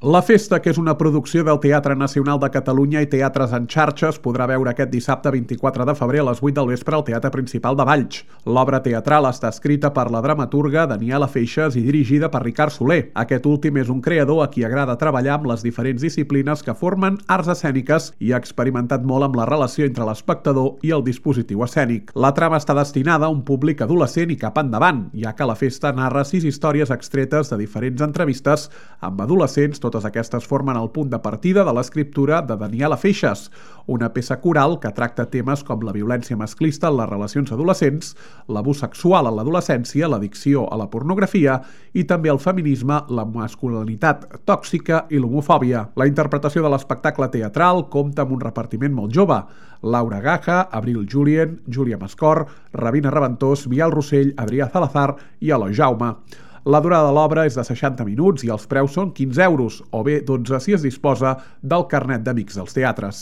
La Festa, que és una producció del Teatre Nacional de Catalunya i Teatres en Xarxa, es podrà veure aquest dissabte 24 de febrer a les 8 del vespre al Teatre Principal de Valls. L'obra teatral està escrita per la dramaturga Daniela Feixas i dirigida per Ricard Soler. Aquest últim és un creador a qui agrada treballar amb les diferents disciplines que formen arts escèniques i ha experimentat molt amb la relació entre l'espectador i el dispositiu escènic. La trama està destinada a un públic adolescent i cap endavant, ja que La Festa narra 6 històries extretes de diferents entrevistes amb adolescents. Totes aquestes formen el punt de partida de l'escriptura de Daniela Feixas, una peça coral que tracta temes com la violència masclista en les relacions adolescents, l'abús sexual en l'adolescència, l'addicció a la pornografia i també el feminisme, la masculinitat tòxica i l'homofòbia. La interpretació de l'espectacle teatral compta amb un repartiment molt jove: Laura Gaja, Abril Julien, Júlia Mascor, Rabina Reventós, Bial Rossell, Adrià Salazar i Eloi Jaume. La durada de l'obra és de 60 minuts i els preus són 15 euros, o bé 12 si es disposa del carnet d'Amics dels Teatres.